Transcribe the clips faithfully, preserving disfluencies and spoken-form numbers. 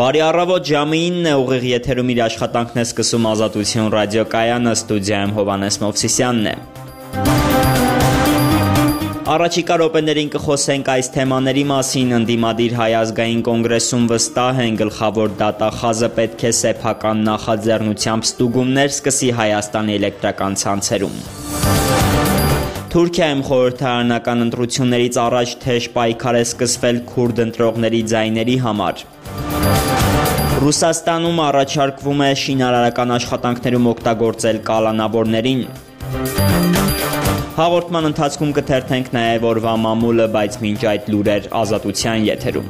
Բարի առավոտ, ժամը ինն է, ուղիղ եթերում իր աշխատանքն է սկսում Ազատություն ռադիոկայանը, ստուդիայում Հովհաննես Մովսիսյանն է։ Առաջիկա րոպեներին կխոսենք այս թեմաների մասին, ընդդիմադիր Հայ ազգային կոնգրեսում վստահ են, գլխավոր դատախազը պետք է սեփական նախաձեռնությամբ ստուգումներ սկսի Հայաստանի էլեկտրական ցանցերում։ Թուրքիայում խորհրդարանական ընտրություններից առաջ թեժ պայքար է սկսվել քուրդ ընտրողների ձայների համար։ Ռուսաստանում առաջարկվում է շինարարական աշխատանքներում օգտագործել կալանավորներին։ Հաղորդման ընթացքում կթերթենք նաև օրվա մամուլը, բայց մինչ այդ լուրեր Ազատության եթերում։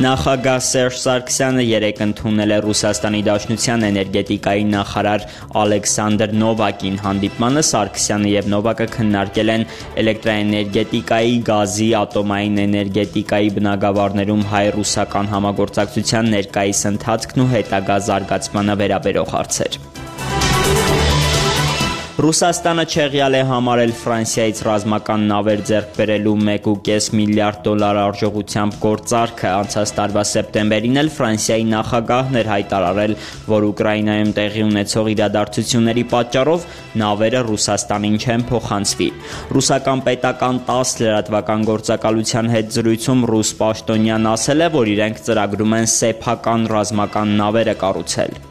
Նախագահ Սերժ Սարգսյանը երեկ ընդունել է Ռուսաստանի Դաշնության էներգետիկայի նախարար Ալեքսանդր Նովակին։ Հանդիպմանը Սարգսյանը եւ Նովակը քննարկել են էլեկտրաէներգետիկայի, գազի, ատոմային էներգետիկայի բնագավառներում հայ-ռուսական համագործակցության ներկայիս ընթացքն ու հետագա զարգացմանը վերաբերող հարցեր։ Ռուսաստանը չեղյալ է համարել Ֆրանսիայից ռազմական նավեր ձեռք բերելու մեկ ու կես միլիարդ դոլար արժողությամբ գործարքը։ Անցած տարվա սեպտեմբերին էլ Ֆրանսիայի նախագահն էր հայտարարել, որ Ուկրաինայում տեղի ունեցող իրադարձությունների պատճառով նավերը Ռուսաստանին չեն փոխանցվի։ Ռուսական պետական տաս լրատվական գործակալության հետ զրույցում ռուս պաշտոնյան ասել է, որ իրենք ծրագրում են սեփական ռազմական նավերը կառուցել։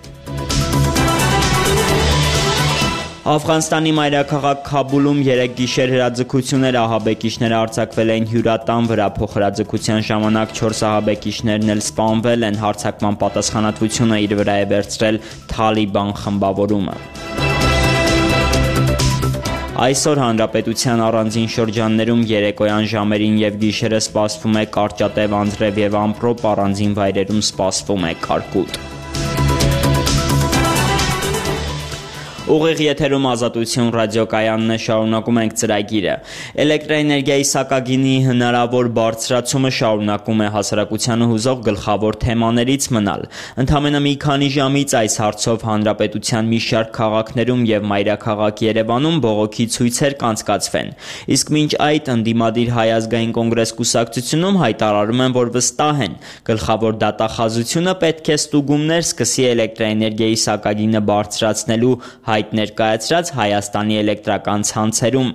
Աֆղանստանի մայրաքաղաք Քաբուլում երեկ գիշեր հրաձգություններ ահաբեկիչները արձակվել են հյուրատան վրա։ Փոխհրաձգության ժամանակ չորս ահաբեկիչներն էլ սպանվել են։ Հարձակման պատասխանատվությունը իր վրա է վերցրել Թալիբան խմբավորումը։ Այսօր հանրապետության առանձին շրջաններում երեկոյան ժամերին եւ գիշերը սպասվում է կարճատև անձրև եւ ամպրոպ, առանձին վայրերում սպասվում է կարկուտ։ Ուղիղ եթերում Ազատություն ռադիոկայանն է, շարունակում ենք ծրագիրը։ Էլեկտրաէներգիայի սակագինի հնարավոր բարձրացումը շարունակում է հասարակությանը հուզող գլխավոր թեմաներից մնալ։ Ընդամենը մի քանի ժամից այս հարցով հանրապետության մի շարք քաղաքներում եւ մայրաքաղաք Երևանում բողոքի ցույցեր կանցկացվեն։ Իսկ մինչ այդ ընդդիմադիր Հայ ազգային կոնգրես կուսակցությունում հայտարարում են, որ վստահ են, գլխավոր դատախազությունը պետք է ստուգումներ սկսի էլեկտրաէներգիայի սակագինը բարձրացնելու հայտ ներկայացրած Հայաստանի էլեկտրական ցանցերում։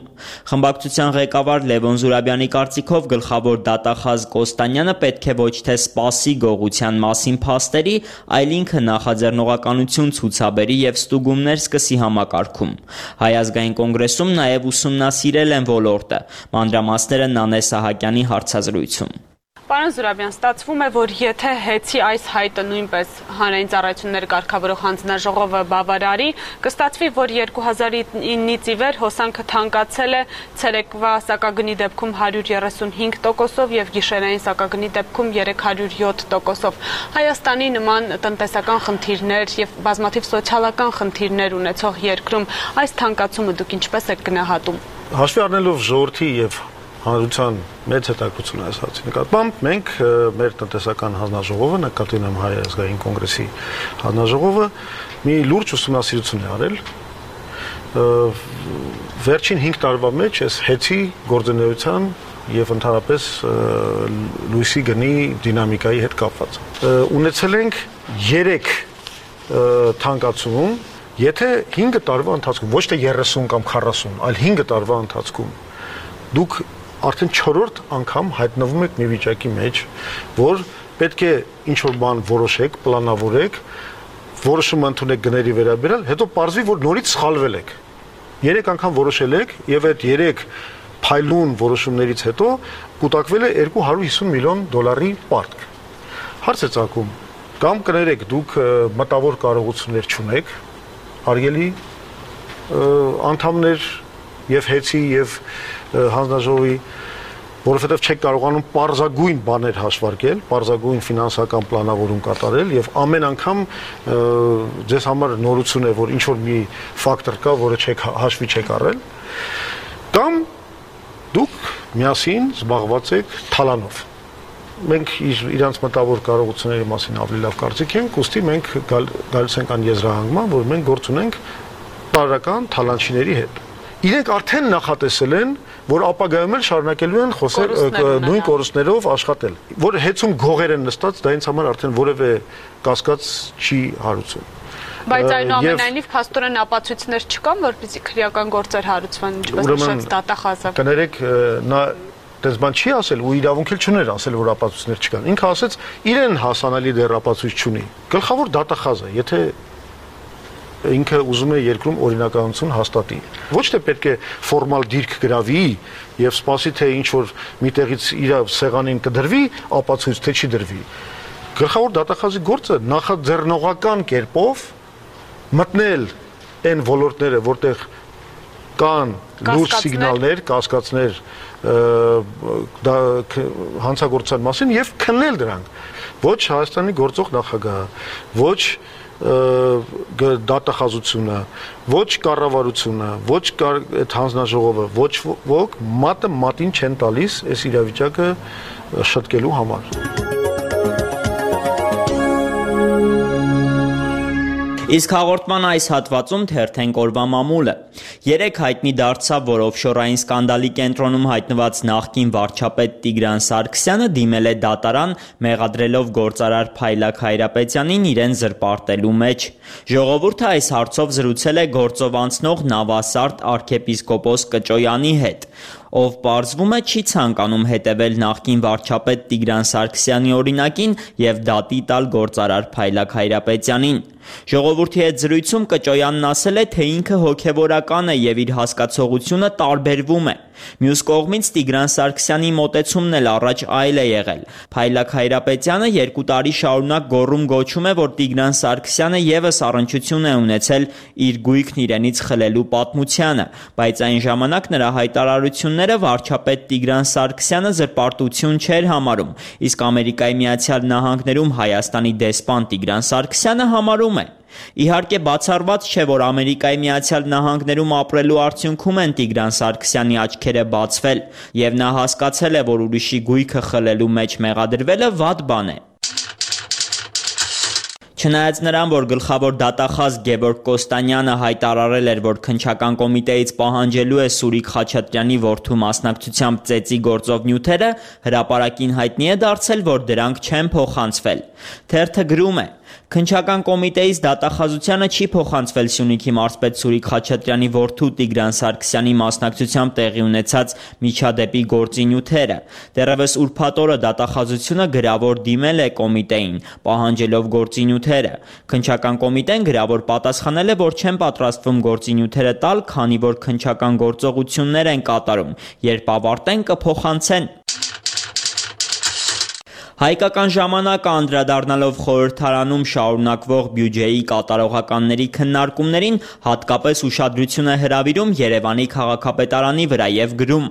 Խմբակցության ղեկավար Լևոն Զուրաբյանի կարծիքով գլխավոր դատախազ Կոստանյանը պետք է ոչ թե սպասի գողության մասին փաստերի, այլ ինքը նախաձեռնողականություն ցուցաբերի եւ ստուգումներ սկսի համակարգում։ Հայ ազգային կոնգրեսում նաեւ ուսումնասիրել են ոլորտը։ Մանրամասները Նանե Սահակյանի հարցազրույցում։ Պարոն Զուրաբյան, ստացվում է, որ եթե հեծի այս հայտը նույնպես հանրային ծառայություններ կարգավորող հանձնաժողովը բավարարի, կստացվի, որ երկու հազար իննից ի վեր հոսանքը թանկացել է ցերեկվա սակագնի դեպքում հարյուր երեսունհինգ տոկոսով եւ գիշերային սակագնի դեպքում երեք հարյուր յոթ տոկոսով։ Հայաստանի նման տնտեսական խնդիրներ եւ բազմաթիվ սոցիալական խնդիրներ ունեցող երկրում այս թանկացումը դուք ինչպես եք գնահատում։ Հաշվի առնելով ժողովրդի եւ հանրության մեծ հետաքրքրություն այս հարցի նկատմամբ մենք մեր տնտեսական հանձնաժողովը, նկատի ունեմ Հայ ազգային կոնգրեսի հանձնաժողովը, մի լուրջ ուսումնասիրություն է արել վերջին հինգ տարվա մեջ այս հեծի գործունեության եւ ընդհանրապես լույսի գնի դինամիկայի հետ կապված։ Ունեցել ենք երեք թանկացում, եթե հինգ տարվա ընթացքում, ոչ թե երեսուն կամ քառասուն, այլ հինգ տարվա ընթացքում դուք արդեն չորրորդ անգամ հայտնվում եք մի վիճակի մեջ, որ պետք է ինչ-որ բան որոշեք, պլանավորեք, որոշում ընդունեք գների վերաբերյալ, հետո պարզվի, որ նորից սխալվել եք։ Երեք անգամ որոշել եք եւ այդ երեք փայլուն որոշումներից հետո կուտակվել է երկու հարյուր հիսուն միլիոն դոլարի պարտք։ Հարց է ծագում, կամ կներեք դուք մտավոր կարողություններ չունեք, հարգելի անդամներ եւ հեծի եւ հանձնաժողովի, որովհետև չեք կարողանում պարզագույն բաներ հաշվարկել, պարզագույն ֆինանսական պլանավորում կատարել եւ ամեն անգամ ձեզ համար նորություն է, որ ինչ որ մի ֆակտոր կա, որը չեք հաշվի չեք առել, կամ դուք միասին զբաղված եք թալանով։ Մենք իրանց մտավոր կարողությունների մասին ավելի լավ կարծիք ենք, ուստի մենք գալ, գալիս ենք ան եզրահանգման, որ մենք գործ ունենք վաճառական թալանչիների հետ։ Իրենք արդեն նախատեսել են, որ ապագայում էլ շարունակելու են խոսել նույն կորուստներով աշխատել, որ հեծում գողեր են նստած, դա ինձ համար արդեն որևէ կասկած չի հարուցում։ Բայց այնուամենայնիվ փաստորեն ապացույցներ չկան, որպեսզի քրեական գործեր հարուցվեն, ինչպես նշեց դատախազը։ Կներեք, նա դες բան չի ասել ու իրավունք էլ չուներ ասել, որ ապացույցներ չկան։ Ինքը ասեց, իրեն հասանալի դեռ ապացույց չունի։ Գլխավոր դատախազը, եթե ինքը ուզում է երկրում օրինականություն հաստատի։ Ոչ թե պետք է ֆորմալ դիրք գրավի եւ սպասի թե ինչ որ միտեղից իր սեղանին կդրվի, ապացույց թե չի դրվի։ Գլխավոր դատախազի գործը նախաձեռնողական կերպով մտնել այն ոլորտները, որտեղ կան լուրջ սիգնալներ, կասկածներ դա հանցագործության մասին եւ քննել դրանք։ Ոչ Հայաստանի գործող նախագահը, ոչ դատախազությունը, ոչ կառավարությունը, ոչ այդ հանձնաժողովը, ոչ ոք մատը մատին չեն տալիս այս իրավիճակը շտկելու համար։ Իսկ հաղորդման այս հատվածում թերթենք օրվա մամուլը։ Երեք հայտնի դարձավ, որ օֆշորային սկանդալի կենտրոնում հայտնված նախկին վարչապետ Տիգրան Սարգսյանը դիմել է դատարան, մեղադրելով գործարար Փայլակ Հայրապետյանին իրեն զրպարտելու մեջ։ Ժողովուրդը այս հարցով զրուցել է գործով անցնող նավասարդ arczepiskopos Կճոյանի հետ, ով պարզվում է չի ցանկանում հետևել նախկին վարչապետ Տիգրան Սարգսյանի օրինակին եւ դատի տալ գործարար Փայլակ Հայրապետյանին։ Ժողովրդի հետ զրույցում Կճոյանն ասել է, թե ինքը հոգևորական է եւ իր հասկացողությունը տարբերվում է։ Մյուս կողմից Տիգրան Սարգսյանի մոտեցումն էլ առաջ այլ է եղել։ Փայլակ Հայրապետյանը երկու տարի շարունակ գոռում գոչում է, որ Տիգրան Սարգսյանը եւս առնչություն է ունեցել իր գույքն իրենից խլելու պատմությանը, բայց այն ժամանակ նրա հայտարարությունները վարչապետ Տիգրան Սարգսյանը զրպարտություն չէր համարում, իսկ Ամերիկայի Միացյալ Նահանգներում Հայաստանի դեսպան Տիգրան Սարգսյանը համարում է։ Իհարկե բացառված չէ, որ Ամերիկայի Միացյալ Նահանգներում ապրելու արդյունքում են Տիգրան Սարգսյանի աչքերը բացվել, եւ նա հասկացել է, որ ուրիշի գույքը խլելու մեջ մեղադրվելը վատ բան է։ Չնայած նրան, որ գլխավոր դատախազ Գևորգ Կոստանյանը հայտարարել էր, որ քննչական կոմիտեից պահանջելու է Սուրիկ Խաչատրյանի որդու մասնակցությամբ ծեծի գործով նյութերը, հրապարակին հայտնի է դարձել, որ դրանք չեն փոխանցվել։ Թերթը գրում է. Քննչական կոմիտեից դատախազությանը չի փոխանցվել Սյունիքի մարզպետ Սուրիկ Խաչատրյանի որդու Տիգրան Սարգսյանի մասնակցությամբ տեղի ունեցած միջադեպի գործի նյութերը։ Դեռևս ուրբաթ օրը դատախազությունը գրավոր դիմել է կոմիտեին, պահանջելով գործի նյութերը։ Քննչական կոմիտեն գրավոր պատասխանել է, որ չեն պատրաստվում գործի նյութերը տալ, քանի որ քննչական գործողություններ են կատարում, երբ ավարտեն կփոխանցեն։ Հայկական ժամանակը անդրադառնալով խորհրդարանում շարունակվող բյուջեի կատարողականների քննարկումներին հատկապես ուշադրություն է հրավիրում Երևանի քաղաքապետարանի վրա եւ գրում.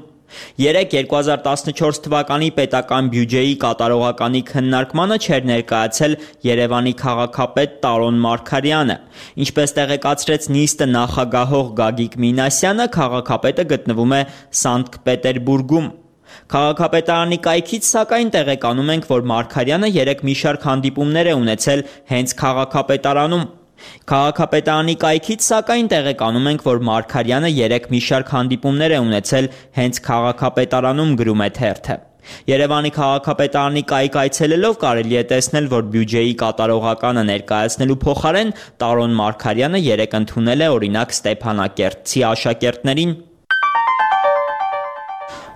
Երեկ երկու հազար տասնչորս թվականի պետական բյուջեի կատարողականի քննարկմանը չէր ներկայացել Երևանի քաղաքապետ Տարոն Մարգարյանը։ Ինչպես տեղեկացրեց նիստը նախագահող Գագիկ Մինասյանը, քաղաքապետը գտնվում է Սանկտ Պետերբուրգում։ Քաղաքապետարանի կայքից սակայն տեղեկանում ենք, որ Մարգարյանը երեկ մի շարք հանդիպումներ է ունեցել հենց քաղաքապետարանում։ Քաղաքապետարանի կայքից սակայն տեղեկանում ենք, որ Մարգարյանը երեկ մի շարք հանդիպումներ է ունեցել հենց քաղաքապետարանում, գրում է թերթը։ Երևանի քաղաքապետարանի կայք այցելելով կարելի է տեսնել, որ բյուջեի կատարողականը ներկայացնելու փոխարեն Տարոն Մարգարյանը երեկ ընդունել է օրինակ Ստեփանակերտցի աշակերտներին։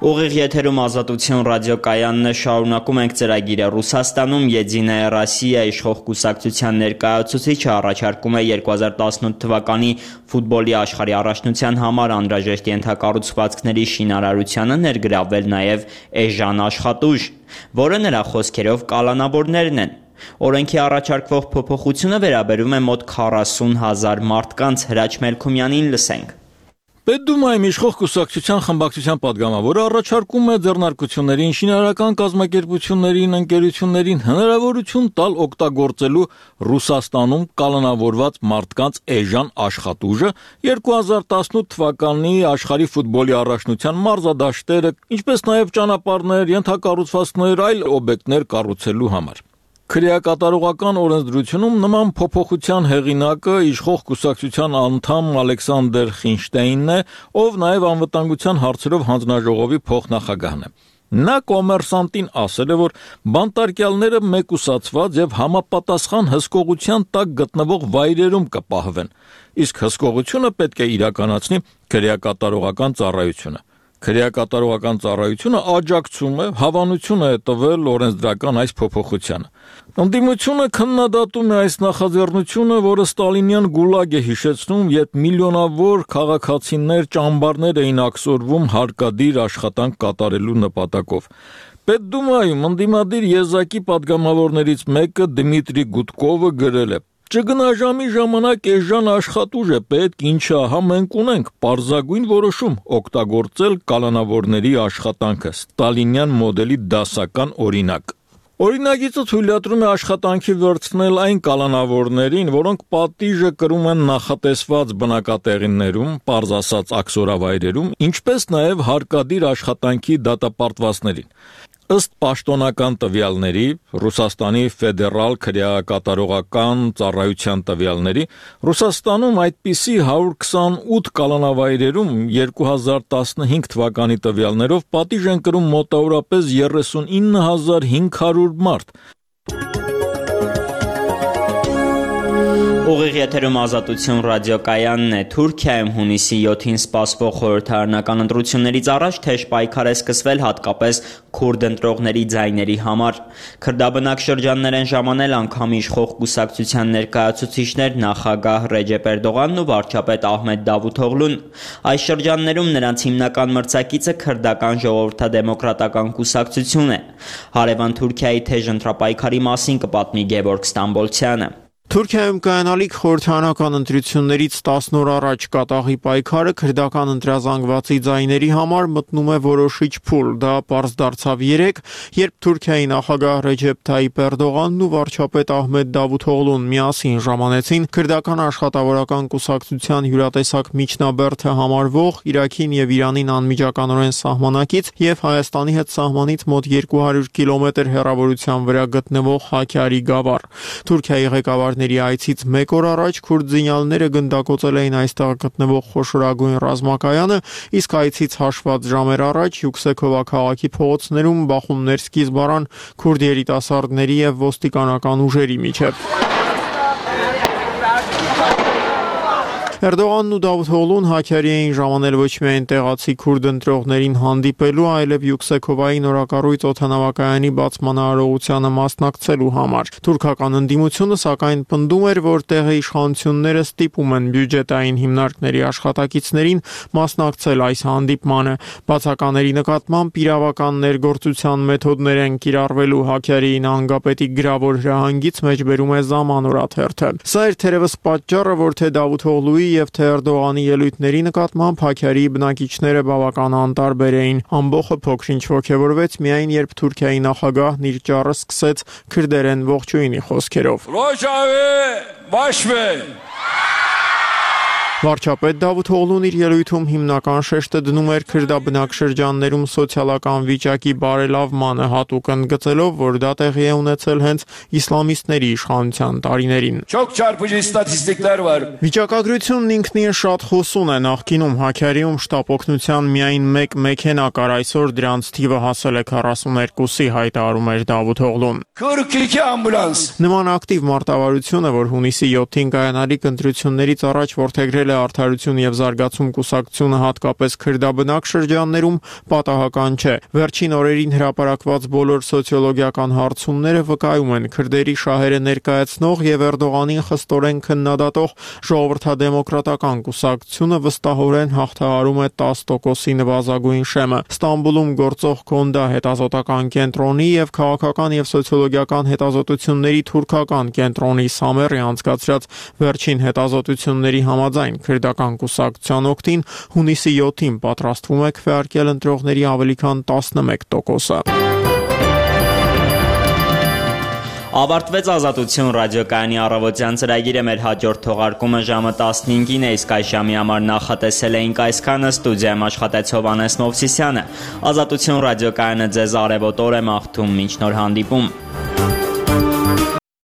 Ուղիղ եթերում Ազատություն ռադիոկայանն է, շարունակում ենք ծրագիրը։ Ռուսաստանում Եդինայա Ռոսիա իշխող կուսակցության ներկայացուցիչը առաջարկում է երկու հազար տասնութ թվականի ֆուտբոլի աշխարհի առաջնության համար անհրաժեշտ ենթակառուցվածքների շինարարությանը ներգրավվել նաև էժան աշխատուժ, որը նրա խոսքերով կալանավորներն են։ Օրենքի առաջարկվող փոփոխությունը վերաբերում է մոտ քառասուն հազար մարդկանց։ Հրաչ Մելքումյանին լսենք։ Պետդումայում իշխող կուսակցության խմբակցության պատգամավորը առաջարկում է ձեռնարկություններին, շինարարական կազմակերպություններին, ընկերություններին հնարավորություն տալ օգտագործելու Ռուսաստանում կալանավորված մարդկանց էժան աշխատուժը երկու հազար տասնութ թվականի աշխարհի ֆուտբոլի առաջնության մարզադաշտերը, ինչպես նաև ճանապարհներ, ենթակառուցվածքներ, այլ օբյեկտներ կառուցելու համար։ Քրեակատարողական օրենսդրությունում նման փոփոխության հեղինակը իշխող կուսակցության անդամ Ալեքսանդր Խինշտեյնն է, ով նաև անվտանգության հարցերով հանձնաժողովի փոխնախագահն է։ Նա կոմերսանտին ասել է, որ բանտարկյալները մեկուսացված եւ համապատասխան հսկողության տակ գտնվող վայրերում կպահվեն, իսկ հսկողությունը պետք է իրականացնի քրեակատարողական ծառայությունը։ Քրեակատարողական ծառայությունը աջակցում է, հավանություն է տվել օրենսդրական այս փոփոխությանը։ Ընդդիմությունը քննադատում է այս նախաձեռնությունը, որը ստալինյան գուլագ է հիշեցնում, երբ միլիոնավոր քաղաքացիներ ճամբարներ էին աքսորվում հարկադիր աշխատանք կատարելու նպատակով։ Պետդումայում ընդդիմադիր եզակի падգամավորներից մեկը Դմիտրի Գուդկովը գրել է. Չգնաժամի ժամանակ էժան աշխատուժ է պետք, ինչը ահա մենք ունենք, պարզագույն որոշում օգտագործել կալանավորների աշխատանքը, ստալինյան մոդելի դասական օրինակ։ Օրինագիծը թույլատրում է աշխատանքի վերցնել այն կալանավորներին, որոնք պատիժը կրում են նախատեսված բնակատեղիներում, պարզ ասած աքսորավայրերում, ինչպես նաև հարկադիր աշխատանքի դատապարտվածներին։ Ըստ պաշտոնական տվյալների, Ռուսաստանի ֆեդերալ քրեակատարողական ծառայության տվյալների, Ռուսաստանում այդպիսի հարյուր քսանութ կալանավայրերում երկու հազար տասնհինգ թվականի տվյալներով պատիժ են կրում մոտավորապես երեսունինը հազար հինգ հարյուր մարդ։ Ուղիղ եթերում Ազատություն ռադիոկայանն է։ Թուրքիայում հունիսի յոթին սպասվող խորհրդարանական ընտրություններից առաջ թեժ պայքար է սկսվել հատկապես քուրդ ընտրողների ձայների համար։ Քրդաբնակ շրջաններ են ժամանել անգամ իշխող կուսակցության ներկայացուցիչներ նախագահ Ռեջեփ Էրդողանն ու վարչապետ Ահմեդ Դավութօղլուն։ Այս շրջաններում նրանց հիմնական մրցակիցը քրդական ժողովրդադեմոկրատական կուսակցություն է։ Հարևան Թուրքիայի թեժ ընտրապայքարի մասին կպատմի Գևորգ Ստամբոլցյանը։ Թուրքիայում կայանալիք խորհրդարանական ընտրություններից տասն օր առաջ կատաղի պայքարը քրդական ընտրազանգվածի ձայների համար մտնում է որոշիչ փուլ։ Դա պարզ դարձավ երեկ, երբ Թուրքիայի նախագահ Ռեջեփ Թայիփ Էրդողանն ու վարչապետ Ահմեդ Դավութօղլուն միասին ժամանեցին քրդական աշխատավորական կուսակցության հյուրատեսակ միջնաբերդը համարվող Իրաքին եւ Իրանին անմիջականորեն սահմանակից եւ Հայաստանի հետ սահմանից մոտ երկու հարյուր կիլոմետր հեռավորության վրա գտնվող Հաքարի գավառ։ Թուրքիայի ղեկավար այցից մեկ օր առաջ քուրդ զինյալները գնդակոծել էին այստեղ գտնվող խոշորագույն ռազմակայանը, իսկ այցից հաշված ժամեր առաջ Յուքսեքովա քաղաքի փողոցներում բախումներ սկիզբ առան քուրդ երիտասարդների եւ ոստիկանական ուժերի միջև։ Էրդողանն ու Դավութօղլուն Հաքարի էին ժամանել ոչ միայն տեղացի քուրդ ընտրողներին հանդիպելու, այլև Յուքսեքովայի նորակառույց օդանավակայանի բացման արարողությանը մասնակցելու համար։ Թուրքական ընդդիմությունը սակայն պնդում էր, որ տեղի իշխանությունները ստիպում են բյուջետային հիմնարկների աշխատակիցներին մասնակցել այս հանդիպմանը։ Բացակաների նկատմամբ իրավական ներգործության մեթոդներ են կիրառվելու Հաքարի նահանգապետի գրավոր հրահանգից մեջբերում է Zamanor-աթերթը։ Սա էր թերևս պատճառը, որ թե Դավութօղլուի եւ թե Էրդողանի ելույթների նկատմամբ Հաքարի բնակիչները բավական անտարբեր էին։ Ամբողջը փոքրինչ ոգևորվեց միայն երբ Թուրքիայի նախագահն իր ճառը սկսեց քրդերեն ողջույնի խոսքերով։ Վարչապետ Դավութօղլուն իր ելույթում հիմնական շեշտը դնում էր քրդաբնակ շրջաններում սոցիալական վիճակի բարելավմանը, հատուկ ընդգծելով, որ դա տեղի է ունեցել հենց իսլամիստների իշխանության տարիներին։ Վիճակագրությունն ինքնին շատ հոսուն է։ Նախկինում Հաքարիում շտապ օգնության միայն մեկ մեքենա կար, այսօր դրանց թիվը հասել է քառասուներկուսի, հայտարարում էր Դավութօղլուն։ Նման ակտիվ մարտավարությունը, որ հունիսի յոթին կայանալիք ընտրություններից առաջ որդեգրել Արդարություն եւ զարգացում կուսակցությունը հատկապես քրդաբնակ շրջաններում պատահական չէ։ Վերջին օրերին հրապարակված բոլոր սոցիոլոգիական հարցումները վկայում են քրդերի շահերը ներկայացնող եւ Էրդողանին խստորեն քննադատող ժողովրդադեմոկրատական կուսակցությունը վստահորեն հաղթահարում է տասը տոկոսի նվազագույն շեմը։ Ստամբուլում գործող Կոնդա հետազոտական կենտրոնի եւ քաղաքական եւ սոցիոլոգիական հետազոտությունների թուրքական կենտրոնի Սամերի անցկացրած վերջին հետազոտությունների համաձայն քրդական կուսակցության օգտին հունիսի յոթին պատրաստվում է քվեարկել ընտրողների ավելի քան տասնմեկ տոկոսը։ Ավարտվեց Ազատություն ռադիոկայանի առավոտյան ծրագիրը, մեր հաջորդ թողարկումը ժամը տասնհինգին է, իսկ այս ժամի համար նախատեսել էինք այսքանը։ Ստուդիայում աշխատեց Հովհաննես Մովսիսյանը։ Ազատություն ռադիոկայանը ձեզ արևոտ օր է մաղթում, մինչ նոր հանդիպում։